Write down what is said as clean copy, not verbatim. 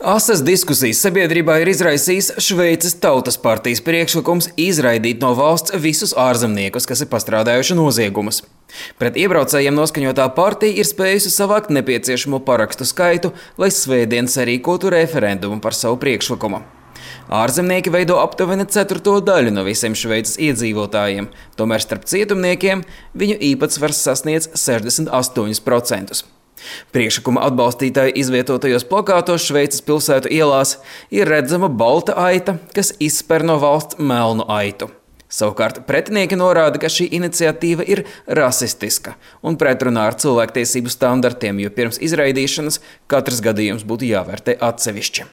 Asas diskusijas sabiedrībā ir izraisījis Šveices Tautas partijas priekšlikums izraidīt no valsts visus ārzemniekus, kas ir pastrādājuši noziegumus. Pret iebraucējiem noskaņotā partija ir spējusi savākt nepieciešamo parakstu skaitu, lai svētdien sarīkotu referendumu par savu priekšlikumu. Ārzemnieki veido aptuveni 1/4 daļu no visiem Šveices iedzīvotājiem, tomēr starp cietumniekiem viņu īpatsvars sasniedz 68%. Priekšlikuma atbalstītāju izvietotajos plakātos Šveices pilsētu ielās ir redzama balta aita, kas izsper no valsts melnu aitu. Savukārt pretinieki norāda, ka šī iniciatīva ir rasistiska un pretrunā ar cilvēktiesību standartiem, jo pirms izraidīšanas katrs gadījums būtu jāvērtē atsevišķi.